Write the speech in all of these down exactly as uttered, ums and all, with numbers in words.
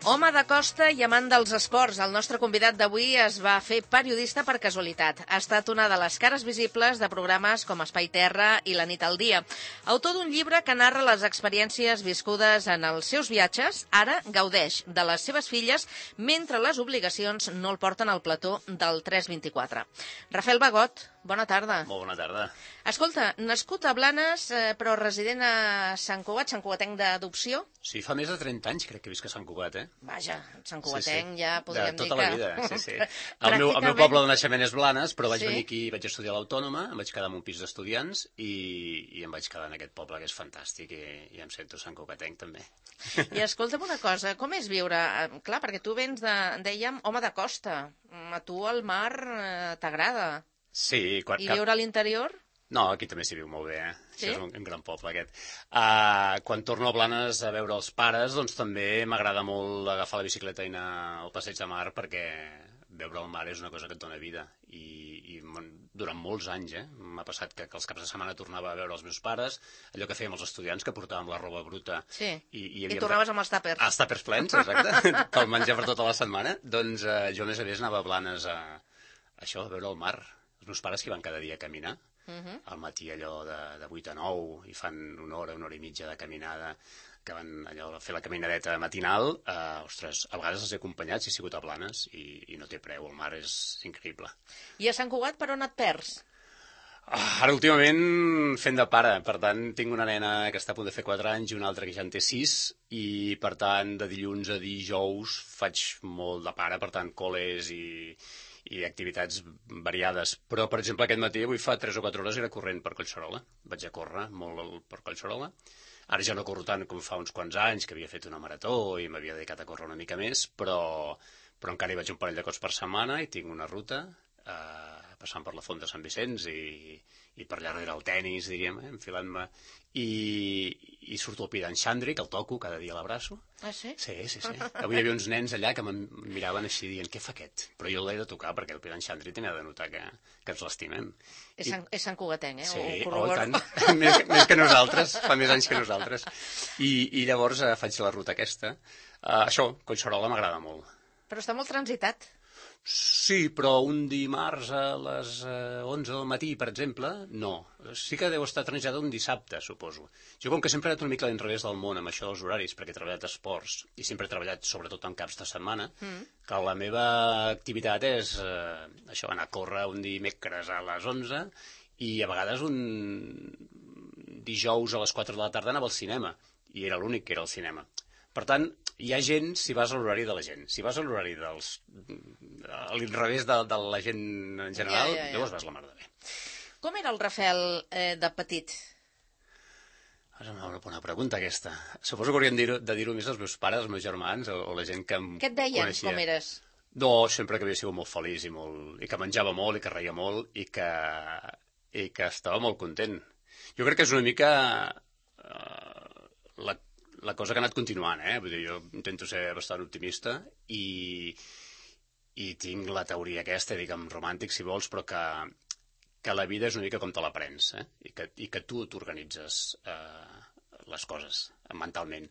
Home de costa i amant dels esports, el nostre convidat d'avui es va fer periodista per casualitat. Ha estat una de les cares visibles de programes com Espai Terra i La nit al dia. Autor d'un llibre que narra les experiències viscudes en els seus viatges, ara gaudeix de les seves filles mentre les obligacions no el porten al plató del tres vint-i-quatre. Rafael Bagot, bona tarda. Molt bona tarda. Escolta, nascut a Blanes, eh, però resident a Sant Cugat, Sant Cugatenc d'adopció? Sí, fa més de trenta anys crec que visc a Sant Cugat, eh? Vaja, Sant Cugatenc sí, sí. Ja podríem dir que... De tota la vida, sí, sí. El, Pràcticament... meu, el meu poble de naixement és Blanes, però vaig sí? venir aquí, vaig estudiar a l'Autònoma, em vaig quedar en un pis d'estudiants i, i em vaig quedar en aquest poble que és fantàstic i, i em sento Sant Cugatenc també. I escolta'm una cosa, com és viure? Clar, perquè tu vens de, dèiem, home de costa. A tu el mar eh, t'agrada. Sí. Quan, I viure a l'interior? No, aquí també s'hi viu molt bé, eh? Sí? Això és un, un gran poble, aquest. Uh, quan torno a Blanes a veure els pares, doncs també m'agrada molt agafar la bicicleta i anar al passeig de mar, perquè veure el mar és una cosa que et dona vida. I, i durant molts anys, eh? M'ha passat que, que els caps de setmana tornava a veure els meus pares, allò que fèiem els estudiants, que portàvem la roba bruta. Sí, i, i, i tornaves amb els tàpers. Els tàpers plens, exacte, pel menjar per tota la setmana. Doncs uh, jo, a més a més, anava a Blanes a, a això, a veure el mar. Els meus pares que van cada dia a caminar, uh-huh. al matí allò de, de vuit a nou, i fan una hora, una hora i mitja de caminada, que van allò a fer la caminadeta matinal, eh, ostres, a vegades els he acompanyat, si he sigut a Blanes, i, i no té preu, el mar és increïble. I a Sant Cugat per on et perds? Ah, ara últimament fent de pare, per tant tinc una nena que està a punt de fer quatre anys i una altra que ja en té sis, i per tant de dilluns a dijous faig molt de pare, per tant col·les i... i activitats variades. Però, per exemple, aquest matí, avui fa tres o quatre hores, era corrent per Collserola. Vaig a córrer molt per Collserola. Ara ja no corro tant com fa uns quants anys, que havia fet una marató i m'havia dedicat a córrer una mica més, però, però encara hi vaig un parell de cops per setmana i tinc una ruta, eh, passant per la Font de Sant Vicenç i, i per allà darrere el tenis, diríem, eh, enfilant-me. I, i surto al Pi d'en Xandri, que el toco, cada dia l'abraço. Ah, sí? Sí, sí, sí. Avui hi havia uns nens allà que em miraven així dient, què fa aquest? Però jo l'he de tocar perquè el Pi d'en Xandri també ha de notar que, que ens l'estimem. És, I... Sant, és Sant Cugatenc, eh? Sí, o, oh, tant. més, més que nosaltres, fa més anys que nosaltres. I, i llavors eh, faig la ruta aquesta. Uh, això, Collserola m'agrada molt. Però està molt transitat. Sí, però un dimarts a les eh, onze del matí, per exemple, no. Sí que deu estar transitat un dissabte, suposo. Jo, com que sempre he anat una mica a l'inrevés del món amb això dels horaris, perquè he treballat a esports i sempre he treballat sobretot en caps de setmana, mm. que la meva activitat és eh, això, anar a córrer un dimecres a les onze i a vegades un dijous a les quatre de la tarda anava al cinema, i era l'únic que era al cinema. Per tant, hi ha gent si vas a l'horari de la gent. Si vas a l'horari dels... a l'inrevés de, de la gent en general, ja, ja, ja. llavors vas la mar de bé. Com era el Rafael eh, de petit? És una bona pregunta, aquesta. Suposo que hauríem de dir-ho més als meus pares, als meus germans, o, o la gent que em Què et deien, coneixia. Com eres? No, sempre que havia sigut molt feliç i, molt, i que menjava molt i que reia molt i que, i que estava molt content. Jo crec que és una mica uh, la la cosa que ha anat continuant, eh? Vull dir, jo intento ser bastant optimista i, i tinc la teoria aquesta, diguem, romàntic, si vols, però que, que la vida és una mica com te la prens, eh? I que, i que tu t'organitzes eh, les coses mentalment.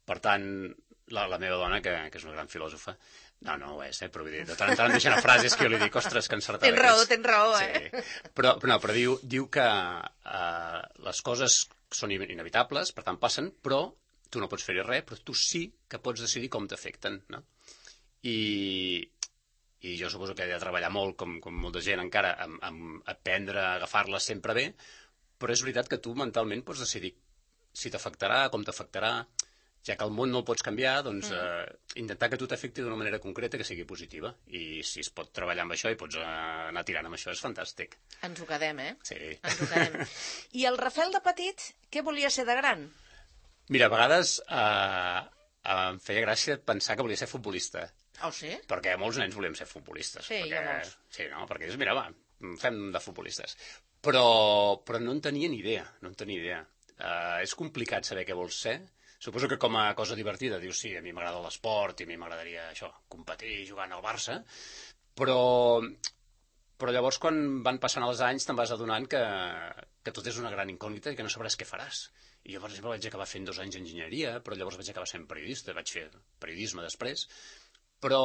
Per tant, la, la meva dona, que, que és una gran filòsofa, no, no ho és, eh? Però vull dir, de tant en tant em deixen a frases que jo li dic, ostres, que encertada. Tens raó, tens raó, eh? Sí. Però, però, no, però diu, diu que eh, les coses són inevitables, per tant passen, però tu no pots fer-hi res, però tu sí que pots decidir com t'afecten, no? I, i jo suposo que he de treballar molt, com, com molta gent encara, amb, amb aprendre a agafar-les sempre bé, però és veritat que tu mentalment pots decidir si t'afectarà, com t'afectarà, ja que el món no el pots canviar, doncs mm. eh, intentar que tu t'afecti d'una manera concreta que sigui positiva. I si es pot treballar amb això i pots anar tirant amb això, és fantàstic. Ens ho quedem, eh? Sí. Ens ho quedem. I el Rafael de petit, què volia ser de gran? Mira, a vegades eh, em feia gràcia pensar que volia ser futbolista. Oh, sí? Perquè molts nens volíem ser futbolistes. Sí, perquè, hi ha molts. Sí, no? Perquè dius, mira, va, fem de futbolistes. Però, però no en tenia ni idea, no en tenia idea. Uh, és complicat saber què vols ser. Suposo que com a cosa divertida dius, sí, a mi m'agrada l'esport i a mi m'agradaria això, competir jugant al Barça, però, Però llavors, quan van passant els anys, te'n vas adonant que, que tot és una gran incògnita i que no sabràs què faràs. I jo, per exemple, vaig acabar fent dos anys d'enginyeria, però llavors vaig acabar sent periodista, vaig fer periodisme després, però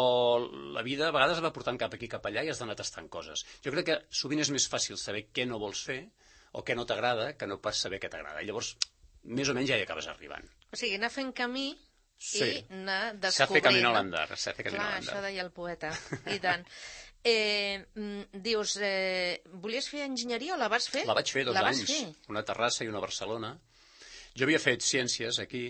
la vida a vegades va portant cap aquí, cap allà, i has d'anar tastant coses. Jo crec que sovint és més fàcil saber què no vols fer o què no t'agrada que no pas saber què t'agrada. I llavors, més o menys ja hi acabes arribant. O sigui, anar fent camí Sí. i anar descobrint. S'ha fet camino al andar. S'ha fet camino Clar, al andar. això deia el poeta, i tant. Eh, mm, dius, eh, volies fer enginyeria o la vas fer? La vaig fer dos la vas anys, fer? una a Terrassa i una a Barcelona. Jo havia fet ciències aquí,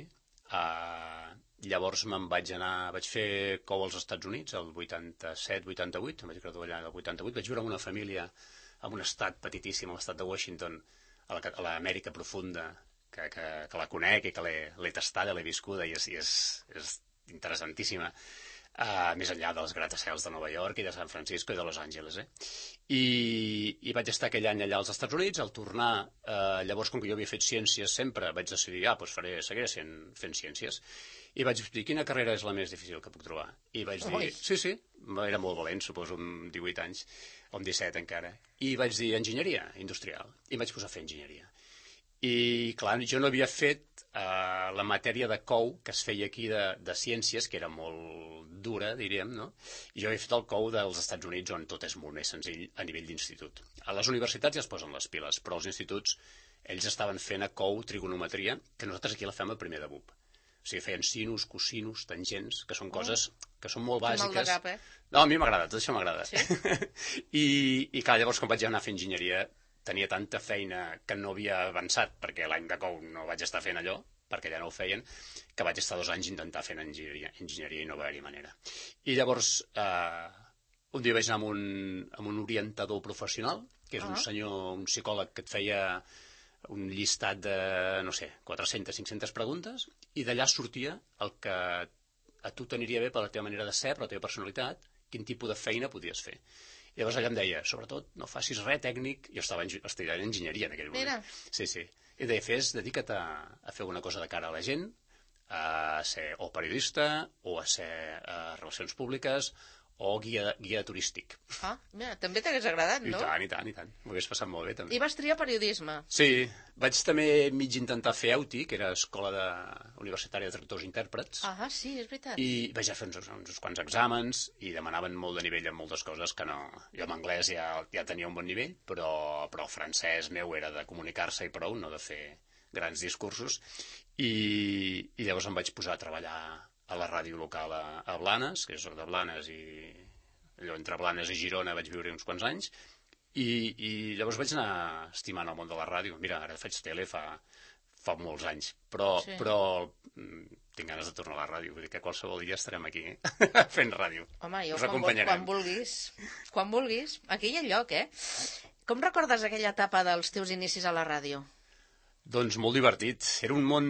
eh, llavors me'n vaig anar, vaig fer cou als Estats Units, el vuitanta-set vuitanta-vuit, em vaig graduar allà el vuitanta-vuit, vaig viure amb una família en un estat petitíssim, l'estat de Washington, a l'Amèrica profunda, que, que, que la conec i que l'he tastada, l'he viscuda i és, i és, és interessantíssima. Uh, més enllà dels gratacels de Nova York i de San Francisco i de Los Angeles, eh? I, i vaig estar aquell any allà als Estats Units, al tornar, uh, llavors, com que jo havia fet ciències sempre, vaig decidir, ah, doncs faré, seguiré sent, fent ciències. I vaig dir, quina carrera és la més difícil que puc trobar? I vaig dir, Ui. sí, sí, era molt valent, suposo, amb divuit anys, o amb disset encara. I vaig dir, enginyeria industrial. I em vaig posar a fer enginyeria. I, clar, jo no havia fet uh, la matèria de cou que es feia aquí de, de ciències, que era molt dura, diríem, no? I jo havia fet el cou dels Estats Units, on tot és molt més senzill a nivell d'institut. A les universitats ja es posen les piles, però als instituts ells estaven fent a cou trigonometria, que nosaltres aquí la fem a primer de B U P. O sigui, feien sinus, cosinus, tangents, que són coses que són molt bàsiques. Mal de cap, eh? No, a mi m'agrada, tot això m'agrada. Sí? I, I, clar, llavors, quan vaig anar a fer enginyeria, tenia tanta feina que no havia avançat, perquè l'any de cou no vaig estar fent allò, perquè ja no ho feien, que vaig estar dos anys intentar fent enginyeria, enginyeria i no va haver-hi manera. I llavors, eh, un dia vaig anar amb un, amb un orientador professional, que és uh -huh. un senyor, un psicòleg que et feia un llistat de, no sé, quatre-centes, cinc-centes preguntes, i d'allà sortia el que a tu t'aniria bé per la teva manera de ser, per la teva personalitat, quin tipus de feina podies fer. I llavors allà em deia, sobretot, no facis res tècnic. Jo estava estudiant enginyeria en aquell moment. Mira. Sí, sí. I em deia, fes, dedica't a, a fer una cosa de cara a la gent, a ser o periodista, o a ser a relacions públiques, o guia, guia turístic. Ah, mira, també t'hagués agradat, no? I tant, i tant, i tant. M'ho hagués passat molt bé, també. I vas triar periodisme. Sí, vaig també mig intentar fer E U T I, que era Escola de... Universitària de Traductors i Intèrprets, Ah, sí, és veritat. i vaig fer uns, uns quants exàmens i demanaven molt de nivell en moltes coses que no... Jo en anglès ja, ja tenia un bon nivell, però, però el francès meu era de comunicar-se i prou, no de fer grans discursos, i, i llavors em vaig posar a treballar a la ràdio local a, a Blanes, que és de Blanes, i allò entre Blanes i Girona vaig viure uns quants anys, i, i llavors vaig anar estimant el món de la ràdio. Mira, ara faig tele fa, fa molts anys, però, Sí. però tinc ganes de tornar a la ràdio, vull dir que qualsevol dia estarem aquí fent ràdio. Home, jo Us quan, vol, acompanyarem. quan vulguis, quan vulguis, aquí hi ha lloc, eh? Com recordes aquella etapa dels teus inicis a la ràdio? Doncs molt divertit. Era un món,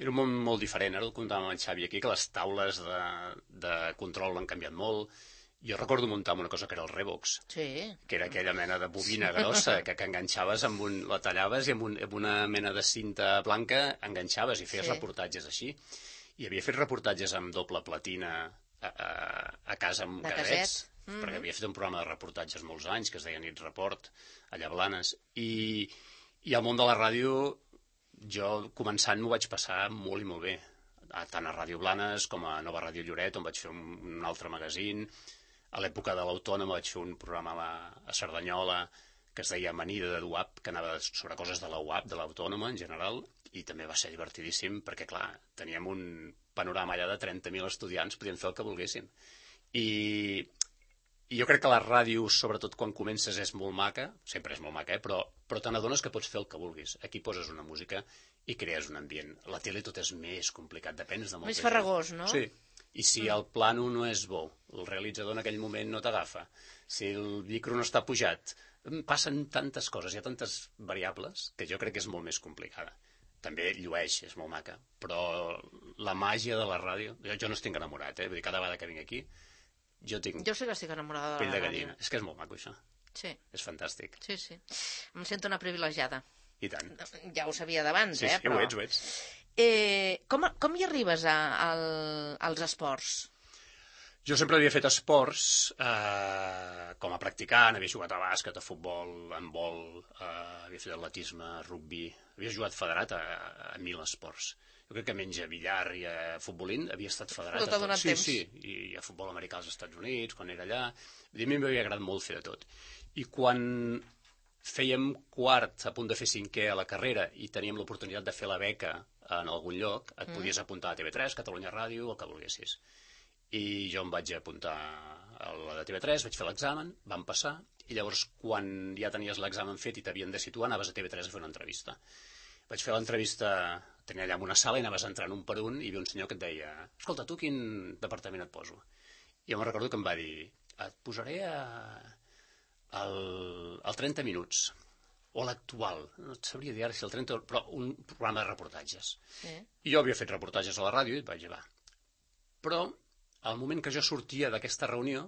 era un món molt diferent. Ara el contàvem amb en Xavi aquí, que les taules de, de control han canviat molt. Jo recordo muntar amb una cosa que era el Revox, Sí. que era aquella mena de bobina grossa que, que enganxaves, amb un, la tallaves i amb, un, amb una mena de cinta blanca enganxaves i feies Sí. reportatges així. I havia fet reportatges amb doble platina a, a, a casa amb De casets, caset. Mm-hmm. perquè havia fet un programa de reportatges molts anys que es deia Nit Report, allà a Blanes. I, i al món de la ràdio, jo començant m'ho vaig passar molt i molt bé. Tant a Ràdio Blanes com a Nova Ràdio Lloret, on vaig fer un, un altre magazín. A l'època de l'Autònoma vaig fer un programa a, la, a Cerdanyola que es deia Amanida de l'U A P, que anava sobre coses de la U A P, de l'Autònoma en general, i també va ser divertidíssim perquè, clar, teníem un panorama allà de trenta mil estudiants, podíem fer el que volguéssim. I, i jo crec que la ràdio, sobretot quan comences, és molt maca, sempre és molt maca, eh? però, però te n'adones que pots fer el que vulguis. Aquí poses una música i crees un ambient. La tele tot és més complicat, depens de molta Més farragós, no? Sí. I si el plano no és bo, el realitzador en aquell moment no t'agafa, si el micro no està pujat, passen tantes coses, hi ha tantes variables, que jo crec que és molt més complicada. També llueix, és molt maca, però la màgia de la ràdio... Jo, jo no estic enamorat, eh? Vull dir, cada vegada que vinc aquí, jo tinc Jo sí que estic enamorada de pell la de ràdio. gallina. És que és molt maco, això. Sí, És fantàstic. sí, sí. Em sento una privilegiada. I tant. Ja ho sabia d'abans, Sí, eh? sí, ho ets, ho ets. Eh, com, com hi arribes a, al, als esports? Jo sempre havia fet esports eh, com a practicant, havia jugat a bàsquet, a futbol, a handbol, eh, havia fet atletisme, rugby, havia jugat federat a, a mil esports. Jo crec que menys a billar i a futbolín havia estat federat. No t'ha donat sí, temps. Sí, i a futbol americà als Estats Units, quan era allà. A mi m'havia agradat molt fer de tot. I quan fèiem quart, a punt de fer cinquè a la carrera, i teníem l'oportunitat de fer la beca en algun lloc, et mm. podies apuntar a T V tres, Catalunya Ràdio, el que volguessis. I jo em vaig apuntar a la de T V tres, vaig fer l'examen, vam passar, i llavors quan ja tenies l'examen fet i t'havien de situar, anaves a T V tres a fer una entrevista. Vaig fer l'entrevista, tenia allà en una sala i anaves entrant un per un i hi havia un senyor que et deia: escolta, tu quin departament et poso? I jo me'n recordo que em va dir: et posaré a... al... al trenta minuts, o a l'actual, no et sabria dir ara si el trenta, però un programa de reportatges. Sí. I jo havia fet reportatges a la ràdio i et vaig dir, va. Però al moment que jo sortia d'aquesta reunió,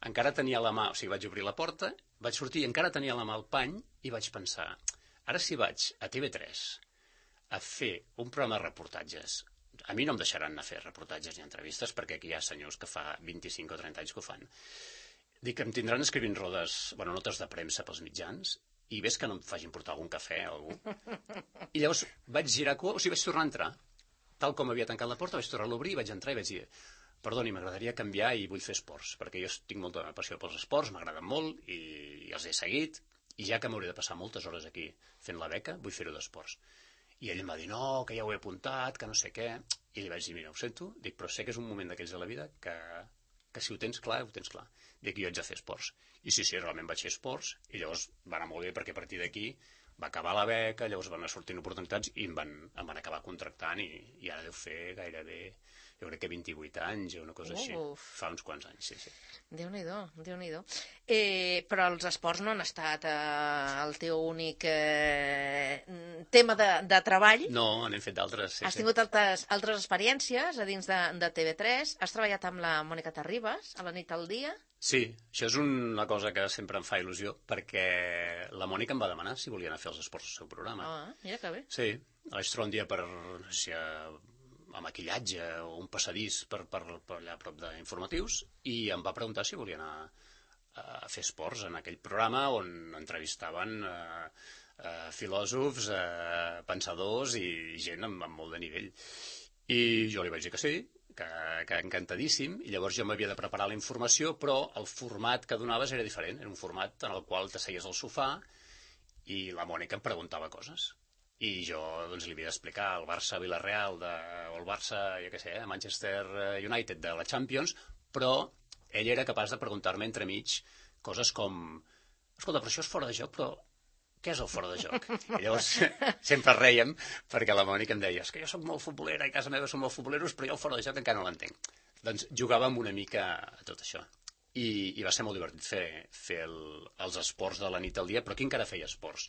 encara tenia la mà, o sigui, vaig obrir la porta, vaig sortir i encara tenia la mà al pany i vaig pensar, ara si vaig a T V tres a fer un programa de reportatges, a mi no em deixaran anar a fer reportatges ni entrevistes perquè aquí hi ha senyors que fa vint-i-cinc o trenta anys que ho fan. Dic que em tindran escrivint rodes, bueno, notes de premsa pels mitjans i ves que no em facin portar algun cafè o algú. I llavors vaig girar cua, o sigui, vaig tornar a entrar. Tal com havia tancat la porta, vaig tornar a l'obrir i vaig entrar i vaig dir: perdoni, m'agradaria canviar i vull fer esports, perquè jo tinc molta passió pels esports, m'agraden molt i, i els he seguit, i ja que m'hauré de passar moltes hores aquí fent la beca, vull fer-ho d'esports. I ell em va dir, no, que ja ho he apuntat, que no sé què, i li vaig dir, mira, ho sento, dic, però sé que és un moment d'aquells de la vida que, que si ho tens clar, ho tens clar. Dic, jo haig de fer esports. I sí, sí, realment vaig fer esports, i llavors va anar molt bé, perquè a partir d'aquí va acabar la beca, llavors van anar sortint oportunitats i em van, em van acabar contractant i, i ara deu fer gairebé, jo crec que vint-i-vuit anys o una cosa Uf. Així, fa uns quants anys, sí, sí. Déu-n'hi-do, Déu-n'hi-do. Eh, però els esports no han estat eh, el teu únic eh, tema de, de treball. No, n'hem fet d'altres, sí. Has tingut sí. altres, altres experiències a dins de, de T V tres, has treballat amb la Mònica Terribas a la nit al dia. Sí, això és una cosa que sempre em fa il·lusió, perquè la Mònica em va demanar si volia anar a fer els esports al seu programa. Ah, mira que bé. Sí, vaig trobar un dia per, no sé, a maquillatge o un passadís per, per, per allà a prop d'informatius i em va preguntar si volia anar a fer esports en aquell programa on entrevistaven eh, eh, filòsofs, eh, pensadors i gent amb, amb molt de nivell. I jo li vaig dir que sí, que, que encantadíssim, i llavors jo m'havia de preparar la informació, però el format que donaves era diferent, era un format en el qual t'asseies al sofà i la Mònica em preguntava coses. I jo doncs, li havia d'explicar el Barça-Villarreal de, o el Barça, jo què sé, Manchester United de la Champions, però ell era capaç de preguntar-me entremig coses com: escolta, però això és fora de joc, però què és el fora de joc? I llavors sempre rèiem perquè la Mònica em deia: és que jo soc molt futbolera i a casa meva som molt futboleros, però jo el fora de joc encara no l'entenc. Doncs jugàvem una mica a tot això. I, i va ser molt divertit fer, fer el, els esports de la nit al dia, però aquí encara feia esports.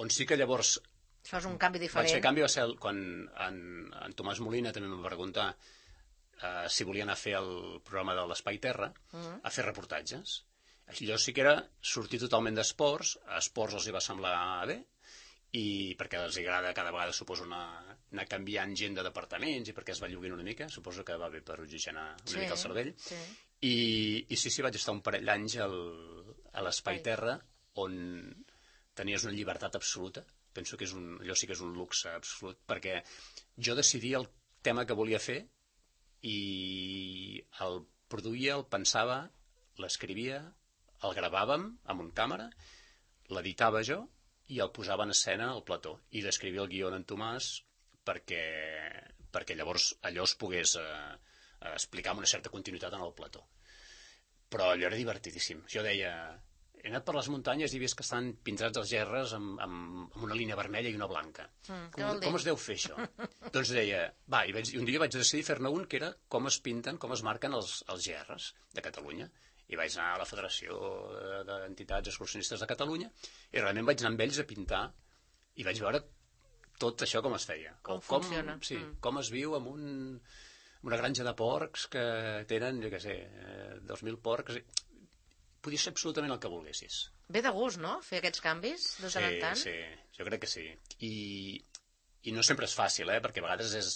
On sí que llavors Fas un canvi diferent. Vaig fer canvi va ser quan en, en Tomàs Molina també em va preguntar uh, si volia anar a fer el programa de l'Espai Terra, uh-huh. a fer reportatges. Allò sí que era sortir totalment d'esports, a esports els hi va semblar bé, i perquè els agrada cada vegada, suposo, anar, anar canviant gent de departaments i perquè es va lloguint una mica, suposo que va bé per oxigenar una sí, mica el cervell. Sí. I, I sí, sí, vaig estar un parell d'anys al, a l'Espai Terra, on tenies una llibertat absoluta. Penso que és un, allò sí que és un luxe absolut, perquè jo decidia el tema que volia fer i el produïa, el pensava, l'escrivia, el gravàvem amb un càmera, l'editava jo i el posava en escena al plató. I l'escrivia el guió en Tomàs perquè, perquè llavors allò es pogués eh, explicar amb una certa continuïtat en el plató. Però allò era divertidíssim. Jo deia... He anat per les muntanyes i he vist que estan pintats els gerres amb, amb, amb una línia vermella i una blanca. Mm, com, com es deu fer això? Doncs deia, va, i, vaig, i un dia vaig decidir fer-ne un que era com es pinten, com es marquen els, els gerres de Catalunya. I vaig anar a la Federació d'Entitats Excursionistes de Catalunya i realment vaig anar amb ells a pintar i vaig veure tot això com es feia. Com, com funciona. Sí, mm. com es viu amb un, una granja de porcs que tenen, jo què sé, dos mil porcs... Podia ser absolutament el que volguessis. Ve de gust, no?, fer aquests canvis de tant en tant? Sí, sí, jo crec que sí. I, i no sempre és fàcil, eh?, perquè a vegades és...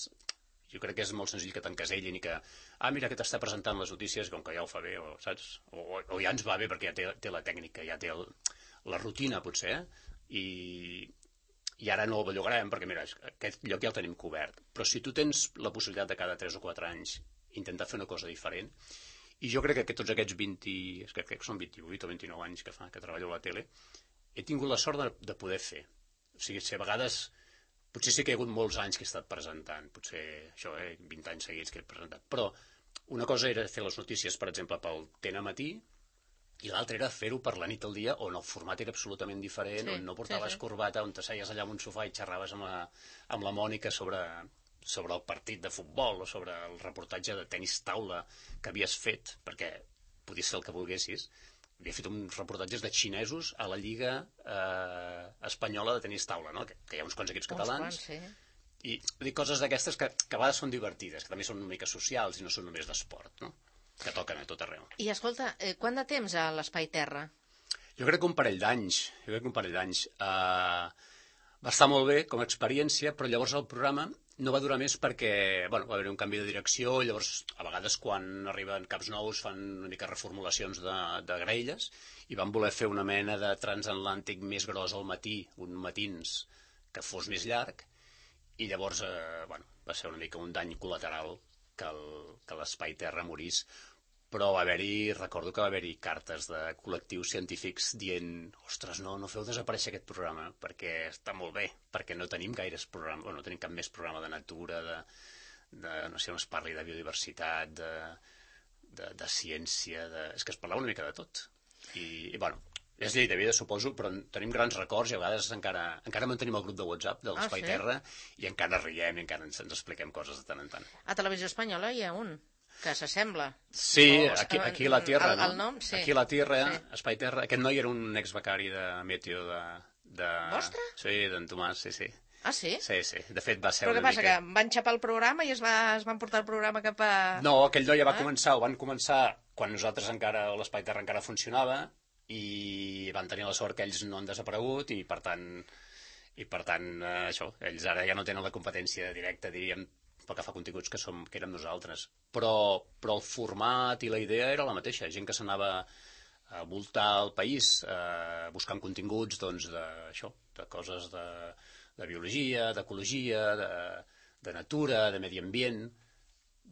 Jo crec que és molt senzill que t'encasellin i que, ah, mira, que t'està presentant les notícies, com que ja ho fa bé, o saps? O, o ja ens va bé perquè ja té, té la tècnica, ja té el, la rutina, potser, i, i ara no el bellugarem, perquè, mira, aquest lloc ja el tenim cobert. Però si tu tens la possibilitat de cada tres o quatre anys intentar fer una cosa diferent, i jo crec que tots aquests vint, crec que són vint-i-vuit o vint-i-nou anys que fa que treballo a la tele, he tingut la sort de, de poder fer. O sigui, si a vegades, potser sí que hi ha hagut molts anys que he estat presentant, potser això, eh, vint anys seguits que he presentat, però una cosa era fer les notícies, per exemple, pel T N Matí, i l'altra era fer-ho per la nit al dia, on el format era absolutament diferent, sí, on no portaves sí, sí. corbata, on t'asseies allà en un sofà i xerraves amb la, amb la Mònica sobre, sobre el partit de futbol o sobre el reportatge de tenis taula que havies fet, perquè podies fer el que volguessis. Havia fet uns reportatges de xinesos a la Lliga eh, Espanyola de tenis taula, no? que, que hi ha uns quants equips catalans. Uns quants, sí. I dic, coses d'aquestes que, que a vegades són divertides, que també són una mica socials i no són només d'esport, no? Que toquen a tot arreu. I escolta, eh, quant de temps a l'Espai Terra? Jo crec que un parell d'anys. Jo crec que un parell d'anys. Uh, va estar molt bé com a experiència, però llavors el programa no va durar més perquè bueno, va haver un canvi de direcció, i llavors a vegades quan arriben caps nous fan una mica reformulacions de, de graelles, i van voler fer una mena de transatlàntic més gros al matí, un matins que fos més llarg, i llavors eh, bueno, va ser una mica un dany col·lateral que el- que l'Espai Terra morís, però va haver-hi, recordo que va haver-hi cartes de col·lectius científics dient, ostres, no, no feu desaparèixer aquest programa, perquè està molt bé, perquè no tenim gaires programes, bueno, no tenim cap més programa de natura, de, de no sé on es parli de biodiversitat, de, de, de ciència, de... és que es parlava una mica de tot. I, i bueno, és llei de vida, suposo, però tenim grans records i a vegades encara, encara mantenim el grup de WhatsApp de l'Espai Ah, sí? Terra i encara riem i encara ens, ens expliquem coses de tant en tant. A Televisió Espanyola hi ha un que s'assembla. Sí, O- aquí, eh, aquí a la Tierra, el- no? el nom, sí. Aquí a la Tierra, Sí. Espai Terra. Aquest noi era un exbecari de Meteo de... de... Vostre? Sí, d'en Tomàs, sí, sí. Ah, sí? Sí, sí. De fet, va ser Però què una passa, mica... que van xapar el programa i es, va, es van portar el programa cap a... No, aquell noi ja va Ah. començar, ho van començar quan nosaltres encara, l'Espai Terra encara funcionava, i van tenir la sort que ells no han desaparegut, i per tant, i per tant eh, això, ells ara ja no tenen la competència directa, diríem, pel que fa a continguts que, som, que érem nosaltres. Però, però el format i la idea era la mateixa, gent que s'anava a voltar el país eh, buscant continguts doncs, de, això, de coses de, de biologia, d'ecologia, de, de natura, de medi ambient,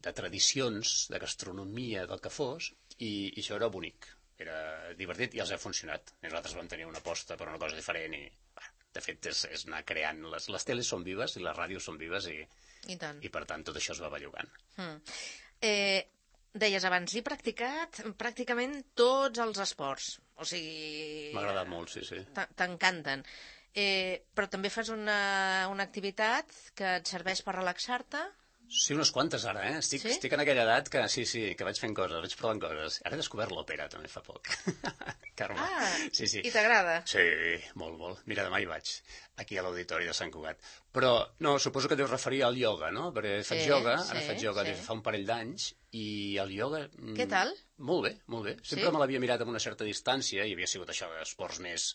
de tradicions, de gastronomia, del que fos, i, i això era bonic, era divertit i els ha funcionat. Nosaltres vam tenir una aposta per una cosa diferent i, bah, de fet, és, és anar creant. Les, les teles són vives i les ràdios són vives i, I tant. i per tant tot això es va bellugant. Mm. Eh, deies abans, he practicat pràcticament tots els esports. O sigui... M'ha agradat molt, sí, sí. t'a- T'encanten. Eh, però també fas una, una activitat que et serveix per relaxar-te? Sí, unes quantes ara, eh? Estic, Sí? estic en aquella edat que sí, sí, que vaig fent coses, vaig provant coses. Ara he descobert l'òpera també fa poc. Carme. Ah, sí, sí. i t'agrada? Sí, molt, molt. Mira, demà hi vaig, aquí a l'Auditori de Sant Cugat. Però, no, suposo que deus referir al ioga, no? Perquè faig Sí, ioga, sí, ara faig ioga sí. des de fa un parell d'anys, i el ioga... mm, Què tal? Molt bé, molt bé. Sempre Sí? me l'havia mirat amb una certa distància, i havia sigut això d'esports més,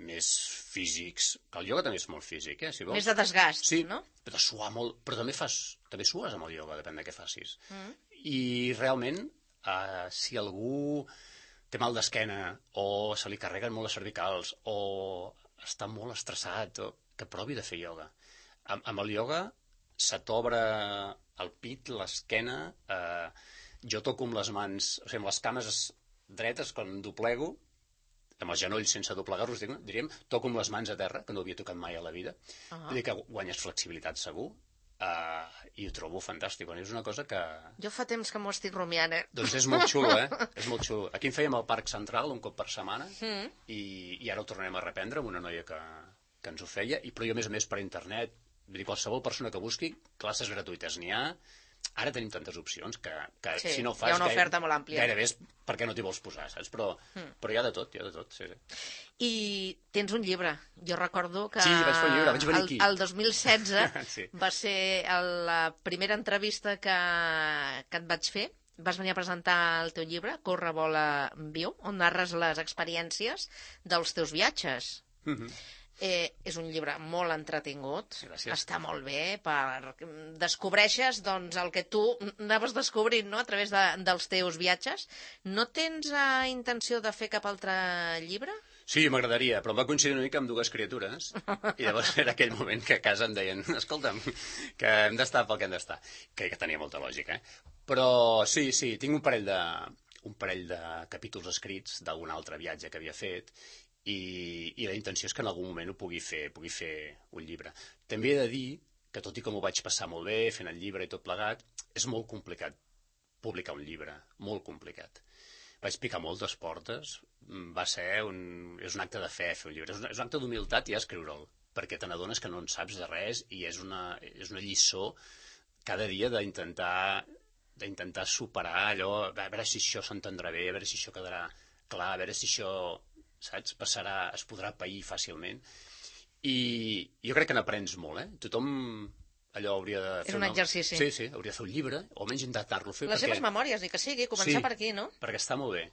més físics, que el ioga també és molt físic, eh, si vols. Més de desgast, Sí, no? però de suar molt, però també fas, també sues amb el ioga, depèn de què facis. Mm. I realment, eh, si algú té mal d'esquena, o se li carreguen molt les cervicals, o està molt estressat, o... que provi de fer ioga. Amb, amb el ioga se t'obre el pit, l'esquena, eh, jo toco amb les mans, o sigui, amb les cames dretes, quan doblego, amb els genolls sense doblegar-los, dic- diríem, toco amb les mans a terra, que no havia tocat mai a la vida. Ah. Vull dir que guanyes flexibilitat segur, eh, i ho trobo fantàstic. Bueno, és una cosa que... Jo fa temps que m'ho estic rumiant, eh? Doncs és molt xulo, eh? És molt xulo. Aquí en fèiem al Parc Central un cop per setmana, Mm. i, i ara ho tornarem a reprendre amb una noia que, que ens ho feia, i però jo, a més a més, per internet, vull dir, qualsevol persona que busqui, classes gratuïtes n'hi ha. Ara tenim tantes opcions que, que Sí, si no ho hi fas... ha una gaire- oferta molt àmplia. Gairebé és perquè no t'hi vols posar, saps? Però, Mm. però hi ha de tot, hi ha de tot, sí, sí. I tens un llibre. Jo recordo que Sí, vaig fer un llibre, vaig venir el, aquí. el dos mil setze Sí. va ser el, la primera entrevista que, que et vaig fer. Vas venir a presentar el teu llibre, Corre, vola, viu, on narres les experiències dels teus viatges. Mhm. Eh, és un llibre molt entretingut, Gràcies. està molt bé, per... descobreixes doncs, el que tu anaves descobrint, no?, a través de, dels teus viatges. No tens eh, intenció de fer cap altre llibre? Sí, m'agradaria, però em va coincidir una mica amb dues criatures, i llavors era aquell moment que a casa em deien, escolta'm, que hem d'estar pel que hem d'estar, que, que tenia molta lògica, eh? Però sí, sí, tinc un parell de, un parell de capítols escrits d'algun altre viatge que havia fet, i, i la intenció és que en algun moment ho pugui fer, pugui fer un llibre. També he de dir que, tot i que m'ho vaig passar molt bé fent el llibre i tot plegat, és molt complicat publicar un llibre, molt complicat. Vaig picar moltes portes, va ser un... és un acte de fe fer un llibre, és un, és un acte d'humilitat ja escriure'l, perquè te n'adones que no en saps de res i és una, és una lliçó cada dia d'intentar d'intentar superar allò, a veure si això s'entendrà bé, a veure si això quedarà clar, a veure si això, saps, passarà, es podrà pair fàcilment. I jo crec que n'aprens molt, eh? Tothom allò hauria de fer... És un una... exercici. Sí, sí, hauria de fer un llibre, o almenys intentar-lo fer. Les perquè... seves memòries, ni que sigui, començar sí, per aquí, no? perquè està molt bé.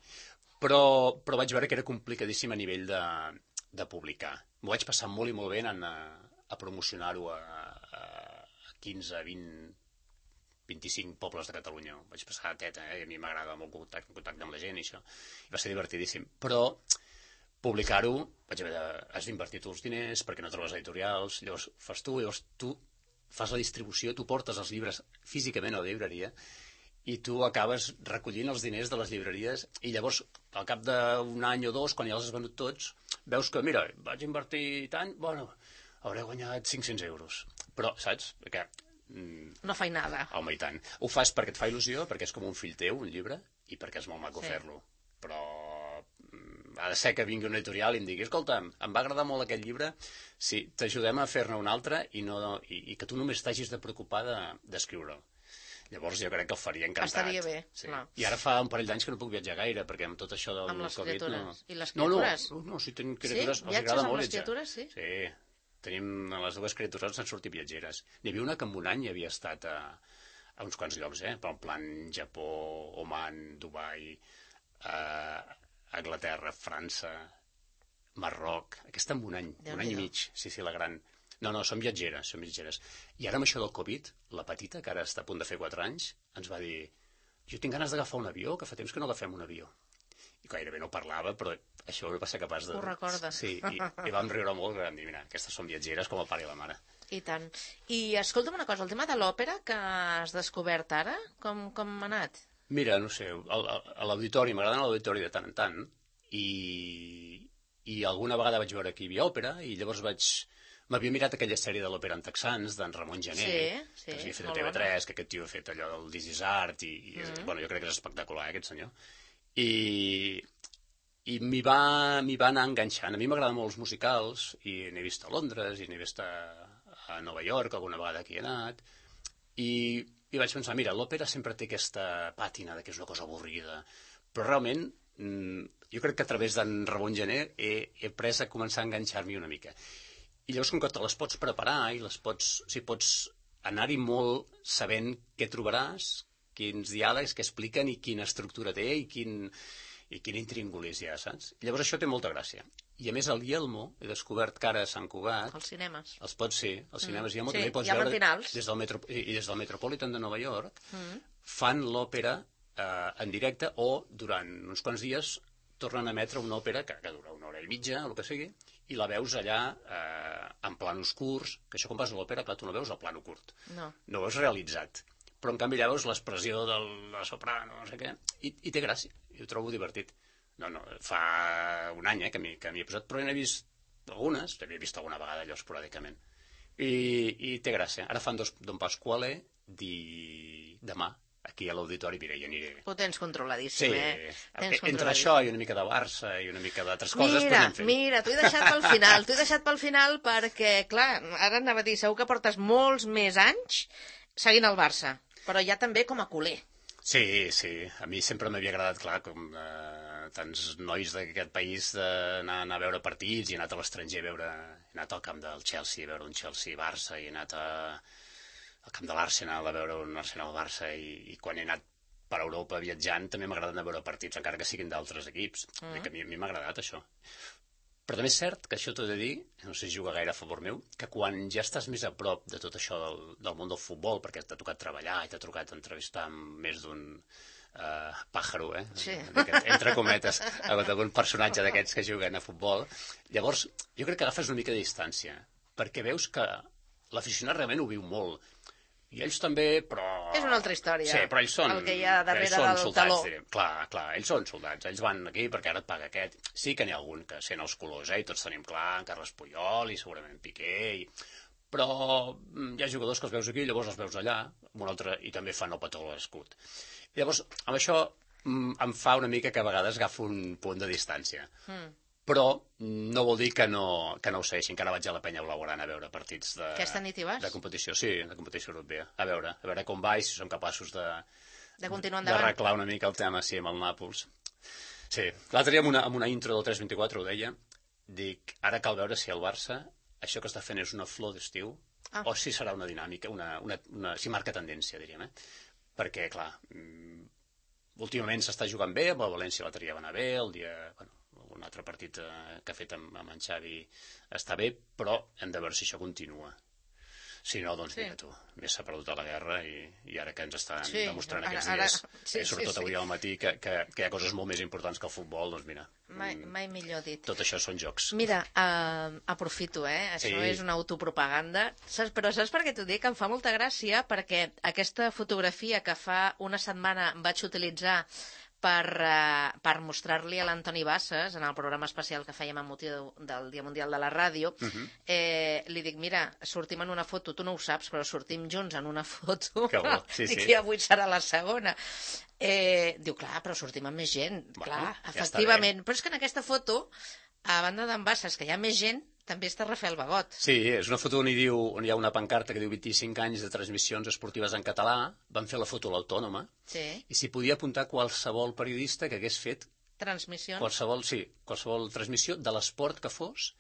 Però, però vaig veure que era complicadíssim a nivell de, de publicar. M'ho vaig passar molt i molt bé anant a, a promocionar-ho a, a quinze, vint, vint-i-cinc pobles de Catalunya. Ho vaig passar a teta, eh? I a mi m'agrada molt contacte, contacte amb la gent i això. I va ser divertidíssim. Però publicar-ho, vaig haver de... has d'invertir tu els diners perquè no trobes editorials, llavors fas tu, llavors tu fas la distribució, tu portes els llibres físicament a la llibreria i tu acabes recollint els diners de les llibreries i llavors, al cap d'un any o dos, quan ja els has venut tots, veus que, mira, vaig invertir tant, bueno, hauré guanyat cinc-cents euros. Però, saps? Perquè... no feinada. Home, i tant. Ho fas perquè et fa il·lusió, perquè és com un fill teu, un llibre, i perquè és molt maco Sí. fer-lo. Però ha de ser que vingui un editorial i em digui, escolta, em va agradar molt aquest llibre, sí, t'ajudem a fer-ne un altre i, no, i, i que tu només t'hagis de preocupar d'escriure'l. Llavors jo crec que el faria encantat. Estaria bé, sí. clar. I ara fa un parell d'anys que no puc viatjar gaire, perquè amb tot això del Amb les Covid... criatures. No... I les no, no, criatures? no, no, si tenen criatures, Sí? els Viatges agrada amb molt les viatjar. criatures, sí? Sí, tenim les dues criatures han sortit viatgeres. N'hi havia una que en un any havia estat a, a uns quants llocs, eh? Per en plan Japó, Oman, Dubai, eh, Anglaterra, França, Marroc, aquesta en un any, un any i mig, sí, sí, la gran. No, no, són viatgeres, són viatgeres. I ara amb això del Covid, la petita, que ara està a punt de fer quatre anys, ens va dir, jo tinc ganes d'agafar un avió, que fa temps que no agafem un avió. I gairebé no parlava, però això va ser capaç de... Ho recorda. Sí, i, i vam riure molt, vam dir, mira, aquestes són viatgeres com el pare i la mare. I tant. I escolta'm una cosa, el tema de l'òpera que has descobert ara, com, com ha anat? Mira, no sé, a, a l'auditori, m'agrada anar a l'auditori de tant en tant, i, i alguna vegada vaig veure que hi havia òpera, i llavors vaig... M'havia mirat aquella sèrie de l'òpera en texans, d'en Ramon Gené, sí, sí, que s'havia fet a molt T V tres, bona. que aquest tio ha fet allò del This is Art, i, i Mm. bueno, jo crec que és espectacular, eh, aquest senyor. I, i m'hi va, m'hi va anar enganxant. A mi m'agraden molt els musicals, i n'he vist a Londres, i n'he vist a, a Nova York, alguna vegada aquí he anat, i, i vaig pensar, mira, l'òpera sempre té aquesta pàtina de que és una cosa avorrida, però realment jo crec que a través d'en Ramon Gené he, he pres a començar a enganxar-m'hi una mica. I llavors, com que te les pots preparar i les pots, o sigui, pots anar-hi molt sabent què trobaràs, quins diàlegs que expliquen i quina estructura té i quin, i quin intríngulis hi ha, saps? I llavors això té molta gràcia. I a més, al Yelmo, he descobert que ara a Sant Cugat... Els cinemes. Els pots ser, els cinemes Mm. Yelmo Sí, també hi pots hi ha veure matinals. des del, metro, i des del Metropolitan de Nova York, Mm. fan l'òpera eh, en directe o durant uns quants dies tornen a emetre una òpera que, que dura una hora i mitja, o el que sigui, i la veus allà eh, en planos curts, que això quan vas a l'òpera, clar, tu no veus el plano curt, No. no ho veus realitzat, però en canvi allà veus l'expressió de la soprano, no sé què, i, i té gràcia, i ho trobo divertit. No, no, fa un any eh, que m'hi he posat, però n'he vist algunes, n'havia vist alguna vegada allò esporàdicament, i, i té gràcia. Ara fan dos Don Pasquale di... demà, aquí a l'auditori, mira, hi aniré. Ho tens controladíssim, Sí, eh? Tens entre controladíssim. això i una mica de Barça i una mica d'altres coses, Mira, però anem fent. mira, t'ho he deixat pel final, t'ho he deixat pel final perquè, clar, ara anava a dir, segur que portes molts més anys seguint el Barça, però ja també com a culer. Sí, sí, a mi sempre m'havia agradat, clar, com eh, tants nois d'aquest país d'anar anar a veure partits i he anat a l'estranger a veure, he anat al camp del Chelsea a veure un Chelsea-Barça i he anat a, al camp de l'Arsenal a veure un Arsenal-Barça i, i quan he anat per Europa viatjant també m'ha agradat anar a veure partits, encara que siguin d'altres equips. Mm. A mi, a mi m'ha agradat això. Però també és cert que això t'ho he de dir, no sé si juga gaire a favor meu, que quan ja estàs més a prop de tot això del, del món del futbol, perquè t'ha tocat treballar i t'ha tocat entrevistar amb més d'un uh, pàjaro, eh? Sí. Entre cometes, amb algun personatge d'aquests que juguen a futbol, llavors jo crec que agafes una mica de distància, perquè veus que l'aficionat realment ho viu molt. I ells també, però... És una altra història. Sí, però ells són... El que hi ha darrere ells són del soldats, taló. Direm. Clar, clar, ells són soldats. Ells van aquí perquè ara et paga aquest. Sí que n'hi ha algun que sent els colors, eh? I tots tenim clar, en Carles Puyol i segurament Piqué. I... Però hi ha jugadors que els veus aquí i llavors els veus allà, amb un altre, i també fan el petó a l'escut. Llavors, amb això em fa una mica que a vegades agafo un punt de distància. Mm. Però no vol dir que no, que no ho segueixi. Encara vaig a la Penya Blaugrana a veure partits de, Aquesta nit hi vas? de competició, sí, de competició europea. A veure, a veure com va i si som capaços de, de continuar endavant. D'arreglar una mica el tema, sí, amb el Nàpols. Sí, l'altre dia amb una, amb una intro del tres vint-i-quatre ho deia, dic, ara cal veure si el Barça, això que està fent és una flor d'estiu, ah. o si serà una dinàmica, una, una, una, si marca tendència, diríem, eh? Perquè, clar, últimament s'està jugant bé, amb el València l'altre dia va anar bé, el dia... Bueno, un altre partit eh, que ha fet amb, amb en Xavi està bé, però hem de veure si això continua. Si no, doncs sí. Mira tu, més s'ha perdut a la guerra i, i ara que ens estan sí, demostrant ara, aquests dies, ara, sí, eh, sobretot sí, sí. avui al matí, que, que, que hi ha coses molt més importants que el futbol, doncs mira. Mai, mai millor dit. Tot això són jocs. Mira, uh, aprofito, eh? Això sí. És una autopropaganda, saps? Però saps per què t'ho dic? Em fa molta gràcia perquè aquesta fotografia que fa una setmana vaig utilitzar per, uh, per mostrar-li a l'Antoni Bassas en el programa especial que fèiem amb motiu del Dia Mundial de la Ràdio, uh-huh. eh, li dic, mira, sortim en una foto, tu no ho saps, però sortim junts en una foto. Que bo, sí, Dic, sí. I avui serà la segona. Eh, diu, clar, però sortim amb més gent. Bueno, clar, efectivament. Però és que en aquesta foto, a banda d'en Bassas, que hi ha més gent, també està Rafael Bagot. Sí, és una foto on hi, diu, on hi ha una pancarta que diu vint-i-cinc anys de transmissions esportives en català. Van fer la foto a l'Autònoma. Sí. I s'hi podia apuntar qualsevol periodista que hagués fet... Transmissions. Qualsevol, sí, qualsevol transmissió de l'esport que fos.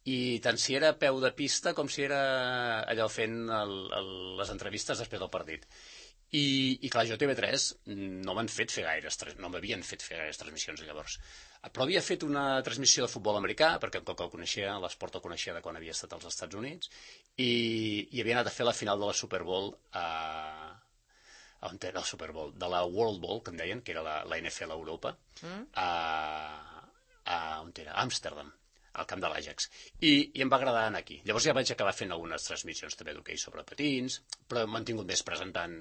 I tant si era a peu de pista com si era allò fent el, el, les entrevistes després del partit. I, i clar, jo a T V tres no m'han fet fer gaires, no m'havien fet fer gaires transmissions llavors. Però havia fet una transmissió de futbol americà, perquè com que el coneixia, l'esport el coneixia de quan havia estat als Estats Units, i, i havia anat a fer la final de la Super Bowl a... on era el Super Bowl? De la World Bowl, que en deien, que era la, la N F L a Europa, mm. a, a, on era? A Amsterdam, al camp de l'Ajax. I, I em va agradar anar aquí. Llavors ja vaig acabar fent algunes transmissions també d'hoquei sobre patins, però m'han tingut més presentant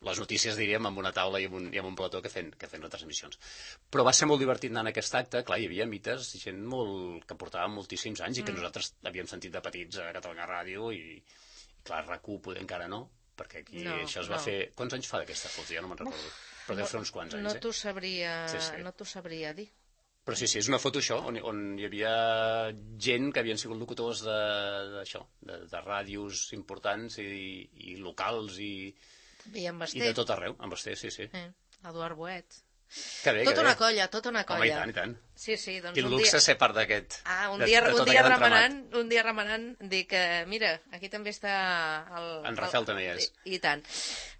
les notícies, diríem, amb una taula i amb un, i amb un plató que fent, que fent les transmissions. Però va ser molt divertit anar en aquest acte. Clar, hi havia mites, gent molt, que portava moltíssims anys i que mm. nosaltres havíem sentit de petits a Catalunya Ràdio i, i clar, RAC u poder encara no, perquè aquí no, això es va no. fer... Quants anys fa d'aquesta foto? Ja no me'n recordo. Però deu fer uns quants anys, no eh? T'ho sabria, sí, sí. No t'ho sabria dir. Però sí, sí, és una foto això, on, on hi havia gent que havien sigut locutors de, d'això, de, de ràdios importants i, i locals i, i, i de tot arreu, amb Basté, sí, sí. Eh, Eduard Boet. Que bé, tota que una bé. colla, tota una colla. Home, i tant, i tant. Sí, sí, doncs Quin un luxe dia... ser part d'aquest. Ah, un de, dia, de un dia remenant, entramat. un dia remenant, dic que, mira, aquí també està el... En Rafael el, també hi és. I, I tant.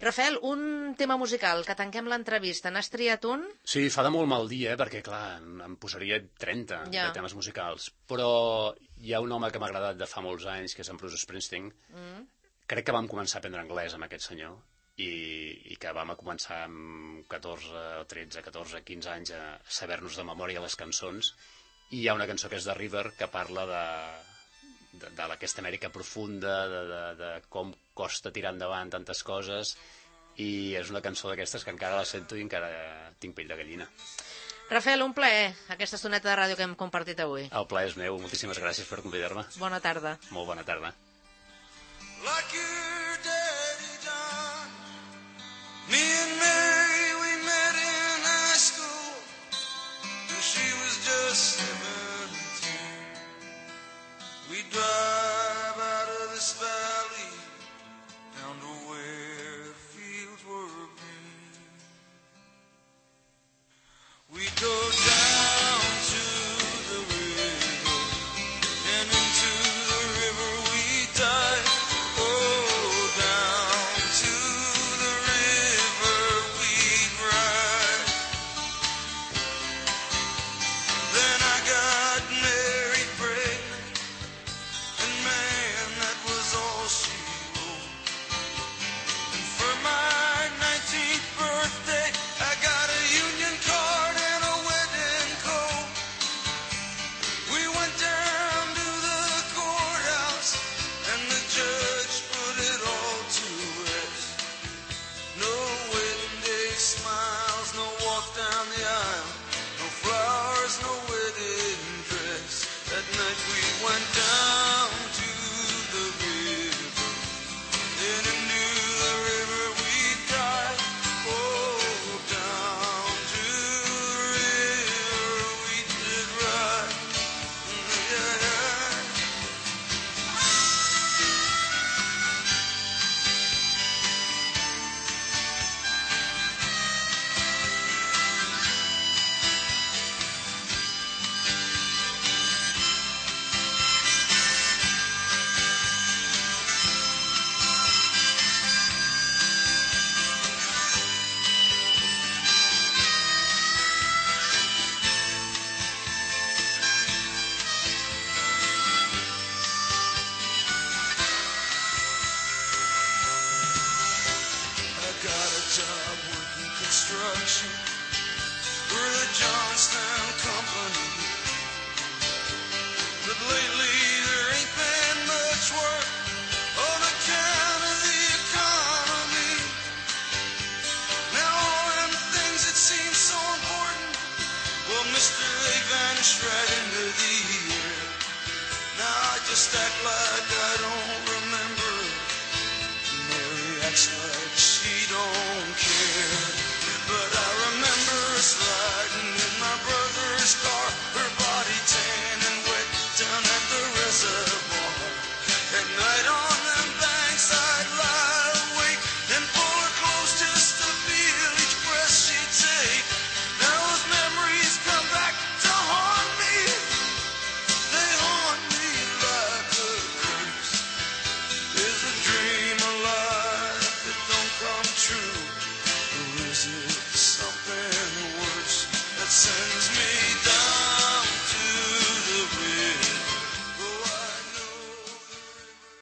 Rafael, un tema musical, que tanquem l'entrevista. N'has triat un? Sí, fa de molt mal dia, perquè, clar, em posaria trenta ja. de temes musicals. Però hi ha un home que m'ha agradat de fa molts anys, que és en Bruce Springsteen. Mm. Crec que vam començar a aprendre anglès amb aquest senyor. I, i que vam començar amb catorze, tretze, catorze, quinze anys a saber-nos de memòria les cançons, i hi ha una cançó que és de River que parla de, de, de aquesta Amèrica profunda, de, de, de com costa tirar endavant tantes coses, i és una cançó d'aquestes que encara la sento i encara tinc pell de gallina. Rafael, un plaer, aquesta estoneta de ràdio que hem compartit avui. El plaer és meu, moltíssimes gràcies per convidar-me. Bona tarda. Molt bona tarda. Like your daddy done. Me and Mary, we met in high school, and she was just seventeen. We drive out of this valley, down to where the fields were green. We go down to the river, and into the river we dive. Then I got married production for the Johnstown Company. But lately there ain't been much work on account of the economy. Now all them things that seem so important, well, mister, they vanished right into the air. Now I just act like I don't remember. Mary acts like she don't care.